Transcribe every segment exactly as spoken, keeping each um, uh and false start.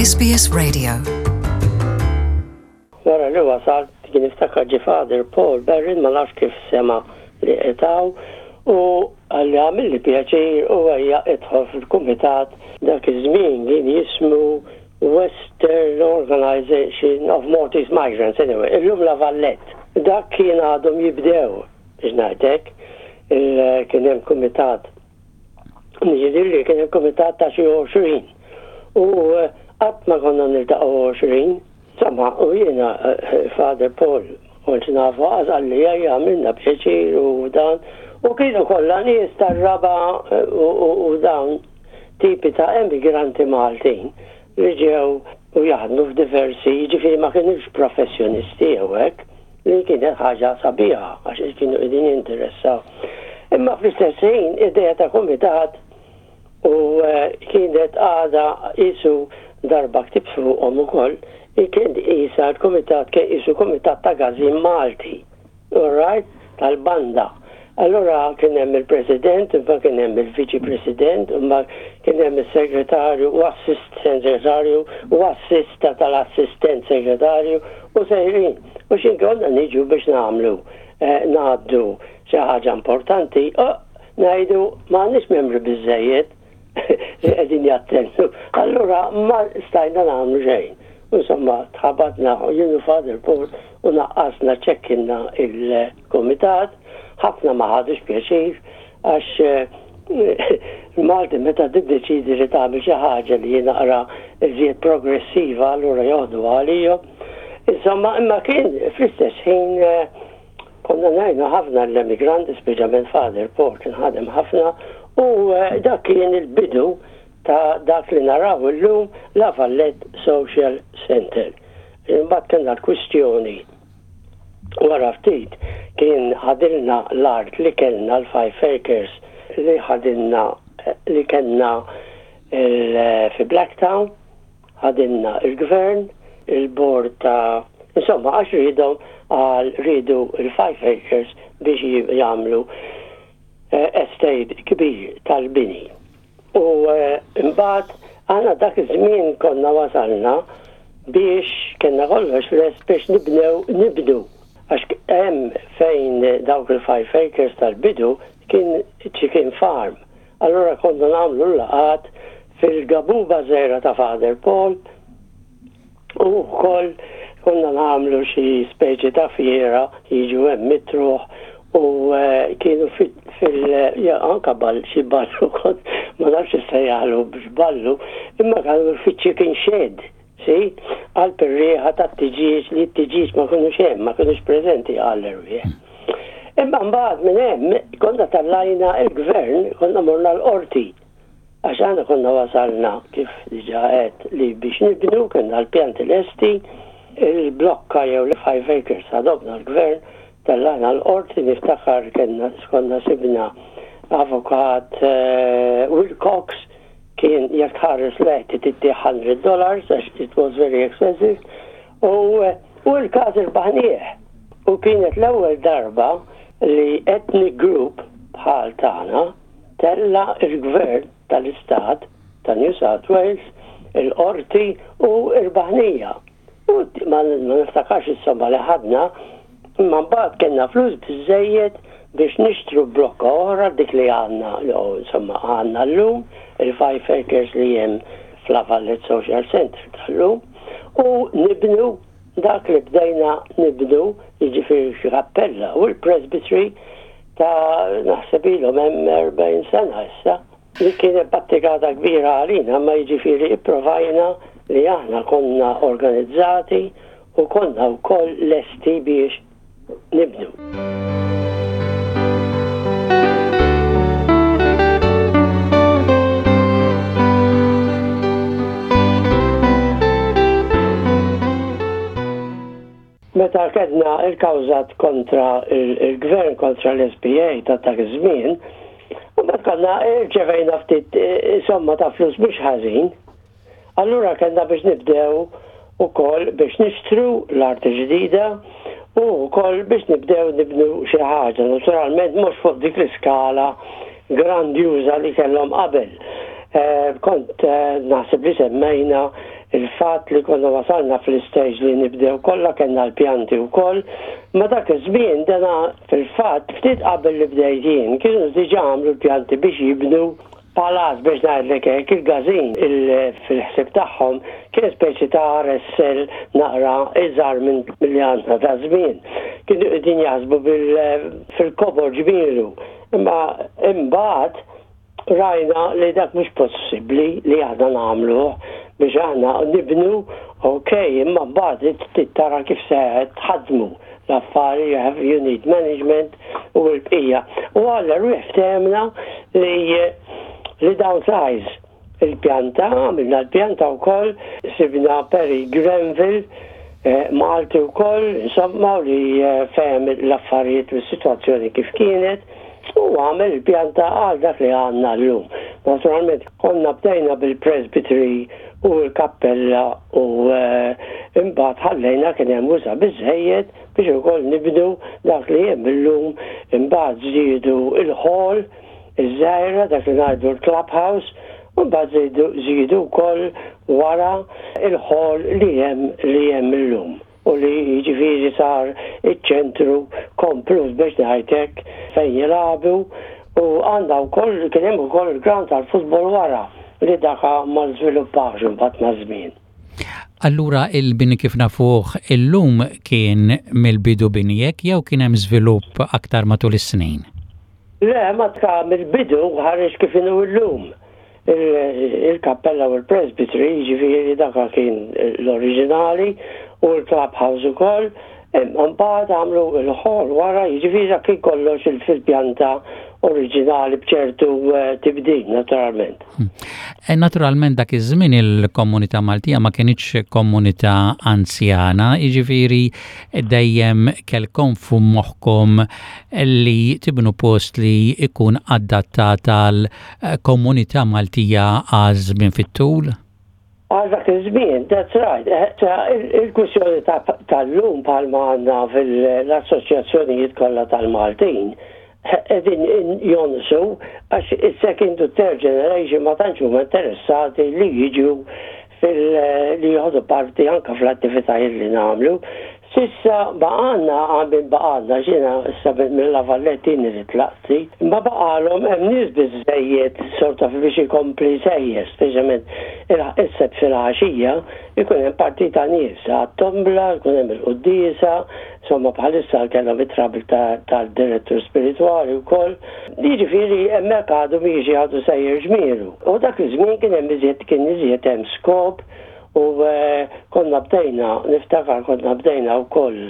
S B S Radio. Wara li wasalt kien niftakar ġie Father Paul Berrin, ma nafx kif sema li etaw, u qalli għamilli pjaċir u ejja idħol fil-kumitat. Dak iż-żmien kien jismu Western Organization of Maltese Migrants, anyway, illum La Vallette. Dak kien għadhom jibdew, biex ngħidlek, kien hemm kumitat. Jiġifieri kien hemm kumitat ta' xi għoxrin. U eh, qatt ma konna niltaqgħu għoxrin. Insomma, u jiena eh, Father Paul kont nafu, qalli ejja, għamilna pjaċir u dan. U kienu kollha nies tar-raba' eh, u dawn tipi ta' emigranti Maltin li ġew u jaħdmu f'diversi, ġifieri ma kienux professjonisti jew hekk, li kienet ħaġa sabiħa għax kienu qegħdin jinteressaw. Imma fl-istess ħin idea ta' kumitat u eh, kienet għada isu darba ktibt fuqhom ukoll, kien isa l-kumitat kien isu kumitat ta' Gazin Malti, all right, tal-banda. Allora kien hemm il-President, imma kien hemm il-Viċi President, imma kien hemm il-Segretarju u Assistent Segretarju u assista tal-Assistent Segretarju u sejrin. U xin konna niġu biex nagħmlu, eh, ngħaddu xi ħaġa importanti, ngħidu m'għandniex membri biżejjed li qegħdin jattendu. Allura ma stajna nagħmlu xejn. Insomma, tħabatna jien u Father Paul u naqqasna, ċekkinna il-komitat, ħafna ma ħadux pjaċir għax eh, Malti meta tiddeċidi li tagħmel xi ħaġa li naqra iżjed progressiva, allura joħdu għalihom. Insomma, imma kien fl-istess ħin eh, konna ngħinu ħafna l-emigranti, speċjalment Father Paul kien ħadem ħafna u eh, dak kien il-bidu ta' dak li naraw illum, La Vallette Social Center. Imbagħad kellna l-kwistjoni wara ftit, kien ħadilna l-art li kellna, l-five acres li ħadilna li kellna fi Blacktown, ħadilna il-gvern, il-bord ta' insomma, għax rridhom għal ridu il-five acres biex jagħmlu eh, estate kbir tal-bini. U eh, imbagħad għandna dak iż-żmien konna wasalna biex kellna kollox lest biex nibnew nibdu. Għax hemm fejn dawk il-five acres tal-bidu kien chicken farm. Allora konna nagħmlu l-laqgħat fil-gabuba żgħira ta' Father Paul u wkoll konna nagħmlu xi speċi ta' fiera, jiġu hemm mitruħ u eh, kienu fil ja, anka ball, xi ballu kont, ma nafx issejjaħlu biex ballu, imma kienu fiċ-chicken shed, si, għal per-riħa ta' tiġieġ, li t-tiġieġ ma kinux hemm, ma kinux preżenti għall-erwieħ. Imma mbagħad minn hemm konna tellajna il-gvern, konna morna l-qorti. Għax aħna konna wasalna, kif diġà għedt, li biex nibnu, kellna l-pjanti lesti, il-blokka jew l-five acres ħadhomlna l-gvern, tellajna l-qorti, niftakar kellna konna sibna avukat uh, Wilcox, kien jekk ħares leħti titti one hundred dollars għax it was very expensive u, u l-każ irbaħnieh. U kienet l-ewwel darba li ethnic group bħal tagħna tella il-gvern tal-istat ta' New South Wales il-qorti u irbaħnieha. U ma niftakarx insomma li ħadna, imma mbagħad kellna flus biżejjed biex nixtru blokka oħra, dik li għandna, jew insomma għandna llum, il-five acres li hemm f'La Vallette Social Center tal-lum, u nibnu dak li bdejna nibnu, jiġifieri xi kappella u l-presbytery ta' naħseb ilhom hemm erbgħin sena issa, li kienet battikata kbira għalina, ma jiġifieri ipprovajna li aħna konna organizzati u konna wkoll lesti biex nibnu. Meta kellna il-kawża kontra il-gvern, kontra l-S B A ta' dak iż-żmien, u meta konna rċevejna ftit eh, somma ta' flus mhux ħażin, allura kellna biex nibdew ukoll biex nixtru l-art ġdida u wkoll biex nibdew nibnu xi ħaġa, naturalment mhux fuq dik l-iskala grandjuża li kellhom qabel. Eh, kont eh, naħseb li semmejna Il-fatt li konna wasalna fl-istage li nibdew kollha, kellna l-pjanti wkoll, ma dak iż-żmien dana fil-fatt ftit qabel li bdejt jien kienu diġà għamlu l-pjanti biex jibnu palazz, biex ngħidlek hekk. Il-każin fil-ħsieb tagħhom kien speċi ta' R S L naqra iżgħar minn milli għandna ta' żmien. Kienu qegħdin jaħsbu fil-kobor ġmielu. Imma imbagħad rajna li dak mhux possibbli li aħna nagħmluh biex aħna nibnu, ok, imma mbagħad tara kif se tħadmu l-affari, you have you need management u l-bqija. U għalla ftehemna li li downsize il-pjanta, għamilna l-pjanta u koll, sibna Perry Grenville, eh, Malti u koll, insomma, li eh, fehem l-affarijiet u s-situazzjoni kif kienet, u għamel il-pjanta għal dak li għandna llum. Naturalment, konna bdejna bil-presbytery u l-kappella u eh, imbagħad ħallejna kien hemm usa biżejjed biex ukoll nibnu dak li hemm illum. Imbagħad żiedu il-hall iż-żgħira, dak li ngħidu l-clubhouse, u mbagħad żiedu wkoll wara il-hall li hemm li hemm illum u li jiġifieri sar iċ-ċentru komplut, biex ngħidlek, fejn jilagħbu u għandha wkoll kien hemm ukoll il-ground tal-futbol wara li daka ma żviluppax imbagħad maż-żmien. Allura il-bini kif nafuh illum kien mill-bidu bini hekk jew kien hemm żvilupp aktar matul is-snin? Le, ma tka mill-bidu ħareġ kif inhu llum. Il-kappella u l-presbytery, ġifieri daka kien l-oriġinali, u l-clubhouse ukoll. Mbagħad għamlu l-hall wara, jiġifieri dak kien kollox fil-pjanta oriġinali b'ċertu eh, tibdil naturalment. Hmm. E naturalment dak iż-żmien il-komunità Maltija ma kienitx komunità anzjana, jiġifieri dejjem kellkom fu moħħkom li tibnu post li ikun adattat għal komunità Maltija għal żmien fit-tul? Għal dak iż-żmien, that's right. Eh, il-kwistjoni tal-lum bħalma għandna fil-assoċjazzjonijiet kollha tal-Maltin, qegħdin jonqsu għax il-second to third generation ma tantx huma interessati li jiġu fil li jieħdu parti anka fl-attivitajiet li nagħmlu. S'issa baqgħalna għamin baqgħalna ġina issa mill-La Vallettini li tlaqti, ma baqgħalhom hemm nies biżejjed sorta biex ikompli sejjer, speċjalment is-Sibt fil-għaxija ikun hemm partita nies għat-tombla, ikun hemm il-quddiesa, insomma bħalissa kellhom it-trouble tal-direttur spiritwali wkoll. Jiġifieri hemmhekk għadu miexi, għadu sejjer ġmielu. U dak iż-żmien kien hemm iżjed kien iżjed hemm skop u eh, konna bdejna, niftakar konna bdejna wkoll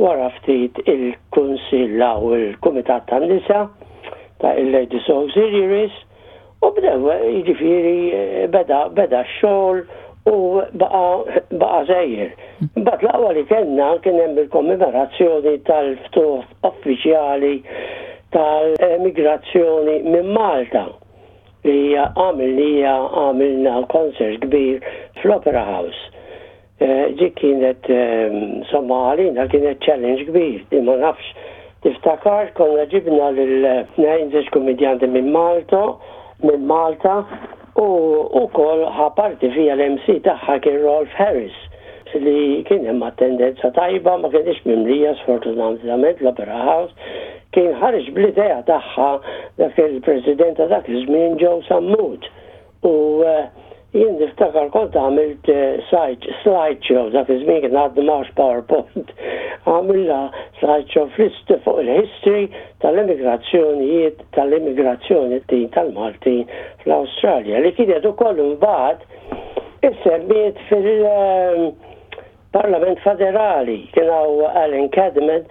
wara ftit il-Kunsill u il-Kumitat tan-Nisa ta' il-Ladies Auxiliaries u bdew, jiġifieri eh, beda beda x-xogħol u baqa baqa sejjer. Mbagħad l-aqwa li kellna kien hemm il-kommemorazzjoni tal-ftuħ uffiċjali tal-emigrazzjoni minn Malta li għamilnija għamilna concert kbir fl-Opera House. Eh, ġi kienet, eh, insomma, għalina kienet challenge kbir, di ma nafx tiftakar, konna ġibna lil tnejn żewġ komedjanti minn Malta, minn Malta, u ukoll ħa parti fija l-M C tagħha kien Rolf Harris, li kien hemm attendenza tajba, ma kienx mimlija sfortunatament l-Opera House. Kien ħareġ bl-idea tagħha dak il-president ta' dak iż-żmien, Joe Sammut. U eh, jien niftakar kont għamilt eh, slide show, dak iż-żmien kien għaddu m'hawnx PowerPoint. Għamilna slide show flist fuq il-history tal-immigrazzjonijiet tal-immigrazzjoni tal-Maltin fl-Awstralja li kienet ukoll imbagħad issemmiet fil- Parlament Federali. Kien hawn Alan Cadman,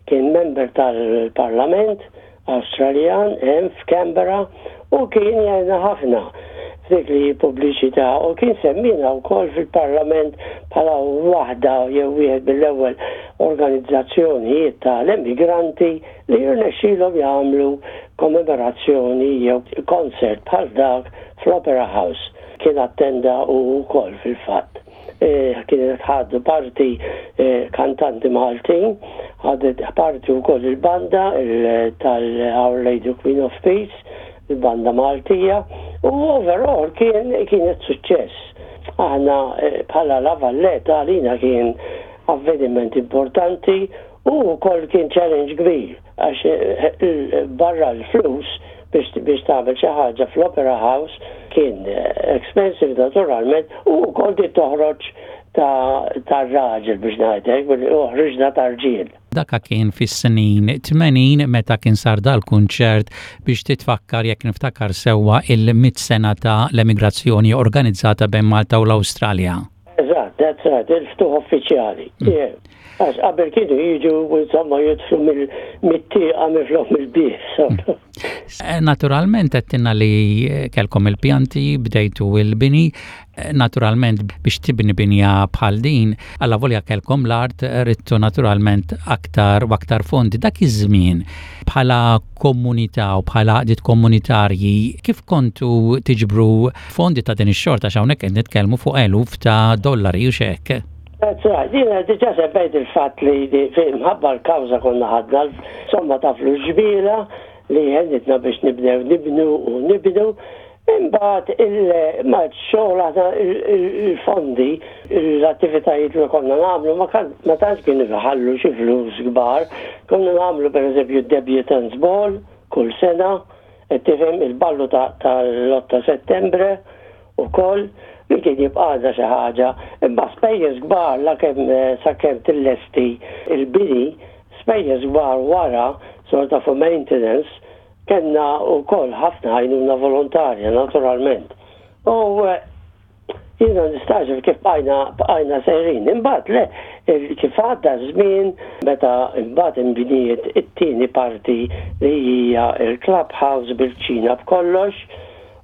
kien member tal-Parlament Awstraljan hemm f'Canberra u kien jgħinna ħafna f'dik li pubbliċità u kien semmina wkoll fil-Parlament bħala waħda jew wieħed mill-ewwel organizzazzjonijiet tal-emigranti li jirnexxilhom jagħmlu kommemorazzjoni jew concert bħal dak fl-Opera House. Kien attenda u wkoll fil-fatt. Eh, kienet ħadu parti eh, kantanti Maltin, ħadet parti wkoll il-banda tal-Our Lady Queen of Peace, il-banda Maltija, u overall kien kienet suċċess. Aħna eh, bħala La Valletta għalina kien avveniment importanti u wkoll kien challenge kbir għax eh, barra l-flus biex biex tagħmel xi ħaġa fl-Opera House kien eh, expensive naturalment u wkoll di toħroġ ta' raġel biex ngħidlek, u ħriġna ta' rġiel. Daka kien fis-snin tmenin meta kien sar dal-kunċert biex titfakkar, jekk niftakar sewwa, il-mitt sena ta' l-emigrazzjoni organizzata bejn Malta u l-Awstralja. Eżatt, that's right, il-ftuħ uffiċjali. Mm. Għax qabel kienu jiġu insomma jidħlu mit-tieqa minflok mill-bieb. Mm. Eh, naturalment għedtilna li kelkom il-pjanti, bdejtu il-bini, eh, naturalment biex tibni binja bħal din, alla volja kelkom l-art, ridtu naturalment aktar u aktar fondi. Dak iż-żmien bħala komunità u bħala għaqdiet komunitarji, kif kontu tiġbru fondi ta' din ix-xorta, hawnhekk qed nitkellmu fuq eluf ta' dollari u xek? That's right, jiena diġà semmejt il-fatt li minħabba l-kawża konna ħadna somma ta' flus ġbira li għenitna biex nibdew nibnu u nibnu. Imbagħad il-xogħol aħna il-fondi, l-attivitajiet li konna nagħmlu ma tantx kienu jħallu xi flus kbar. Konna nagħmlu pereżempju Debutants Ball kull sena, qed tifhem, il-ballu tal-otto Settembre ukoll li kien jibqa' xi ħaġa, imma spejjeż kbar la kemm sakemm tillesti il-bini, spejjeż kbar wara sort of maintenance, kellna wkoll ħafna għajnuna volontarja naturalment. U eh, jiena nistagħġeb kif bqajna bqajna sejrin. Imbagħad le, kif għadda żmien meta imbagħad inbniet it-tieni parti li hija il-clubhouse bil-kċina b'kollox,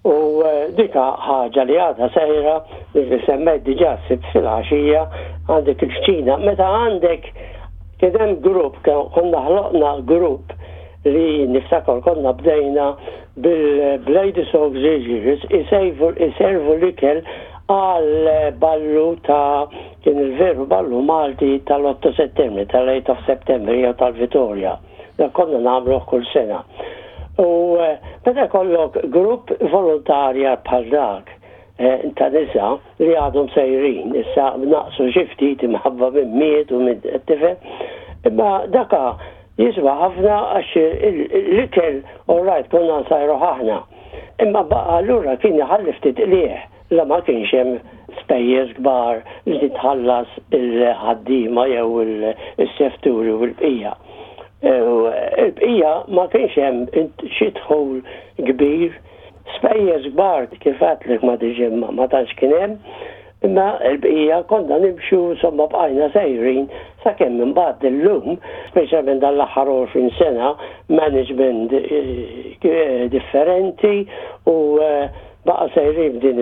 u eh, dika ħaġa li għadha sejra li semmejt diġà Sibt filgħaxija għandek il-kċina. Meta għandek kien hemm grupp, konna ħloqna grupp li niftakar konna bdejna bil-Ladies Auxiliaries iservu l-ikel għal ballu ta' kien il-veru ballu Malti tal-otto Settembru, tal-eight of September jew tal-Vitorja. Da konna nagħmluh kull sena. U eh, meta jkollok grupp volontarja bħal dak eh, ta' nisa li għadhom sejrin, issa naqsu xi ftit imħabba minn miet u minn tifel, imma daka jiswa ħafna għax l-ikel, all right, konna nsajru aħna. Imma baqa allura kien jħalli ftit qligħ la ma kienx hemm spejjeż kbar li titħallas il-ħaddiema jew il-sefturi u l-bqija. Il-bqija ma kienx hemm xi dħul kbir, spejjeż kbar kif għedtlek ma diġà ma tantx kien hemm, imma l-bqija konna nimxu, insomma bqajna sejrin sakemm imbagħad illum, speċjalment dan l-aħħar għoxrin sena, management eh, differenti u eh, baqa sejrin din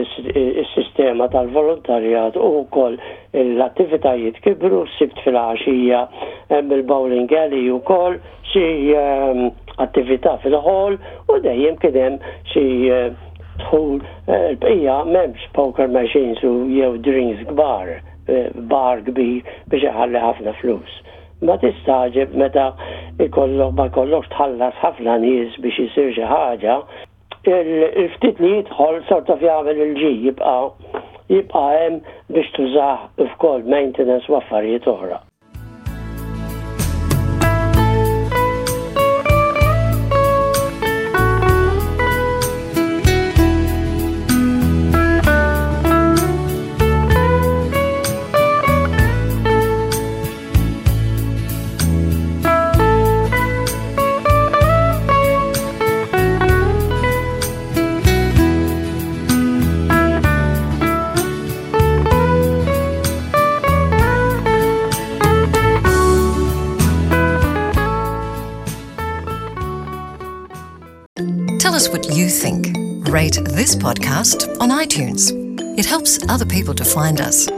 is-sistema tal-volontarjat u wkoll l-attivitajiet kibru, Sibt filgħaxija hemm il-bowling alley ukoll, xi ehm, attività fil-hall u dejjem kien hemm xi eh, dħul. eh, il-bqija m'hemmx poker machines u jew drinks kbar, eh, bar kbir biex iħalli ħafna flus. Ma tistagħġeb meta ikollok ma jkollokx tħallas ħafna nies biex isir xi ħaġa, il-ftit li jidħol sort of jagħmel il-ġi jibqa' jibqa' hemm biex tużah f'kol maintenance u affarijiet oħra. Tell us what you think. Rate this podcast on iTunes. It helps other people to find us.